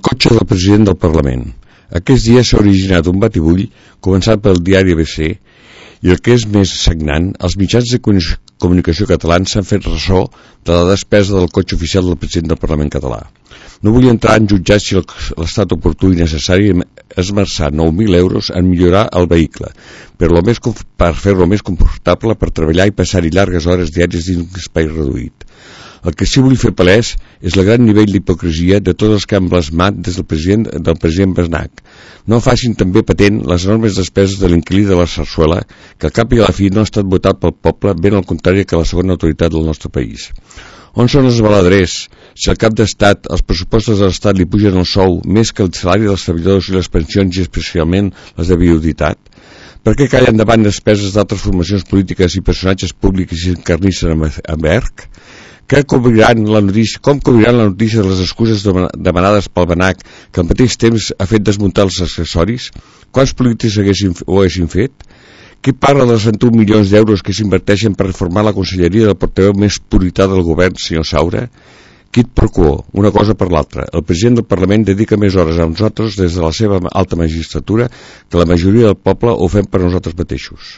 cotxe del president del Parlament. Aquests dies s'ha originat un batibull, començat pel diari ABC, i el que és més sagnant, els mitjans de comunicació catalans s'han fet ressò de la despesa del cotxe oficial del president del Parlament català. No vull entrar en jutjar si l'estat oportú i necessari esmerçar 9.000 euros en millorar el vehicle, per fer-lo més confortable per treballar i passar-hi llargues hores diàries dins un espai reduït. El que sí vull fer palès és el gran nivell d'hipocresia de tots els que han blasmat des del president Basnac. No facin també patent les enormes despeses de l'inquilí de la Sarsuela, que al cap i a la fi no ha estat votat pel poble, ben al contrari que la segona autoritat del nostre país. On són els baladrers? Si al cap d'estat els pressupostos de l'estat li pugen el sou més que el salari dels treballadors i les pensions i especialment les de viuditat? Per què callen davant despeses d'altres formacions polítiques i personatges públics i s'encarnissen amb ERC? Com cobriran la notícia de les excuses demanades pel Banac, que al mateix temps ha fet desmuntar els accessoris? Quants polítics ho haguessin fet? Qui parla dels 21 milions d'euros que s'inverteixen per reformar la conselleria del portaveu més purità del govern, senyor Saura? Quid pro quo, una cosa per l'altra. El president del Parlament dedica més hores a nosaltres des de la seva alta magistratura que la majoria del poble ho fem per nosaltres mateixos.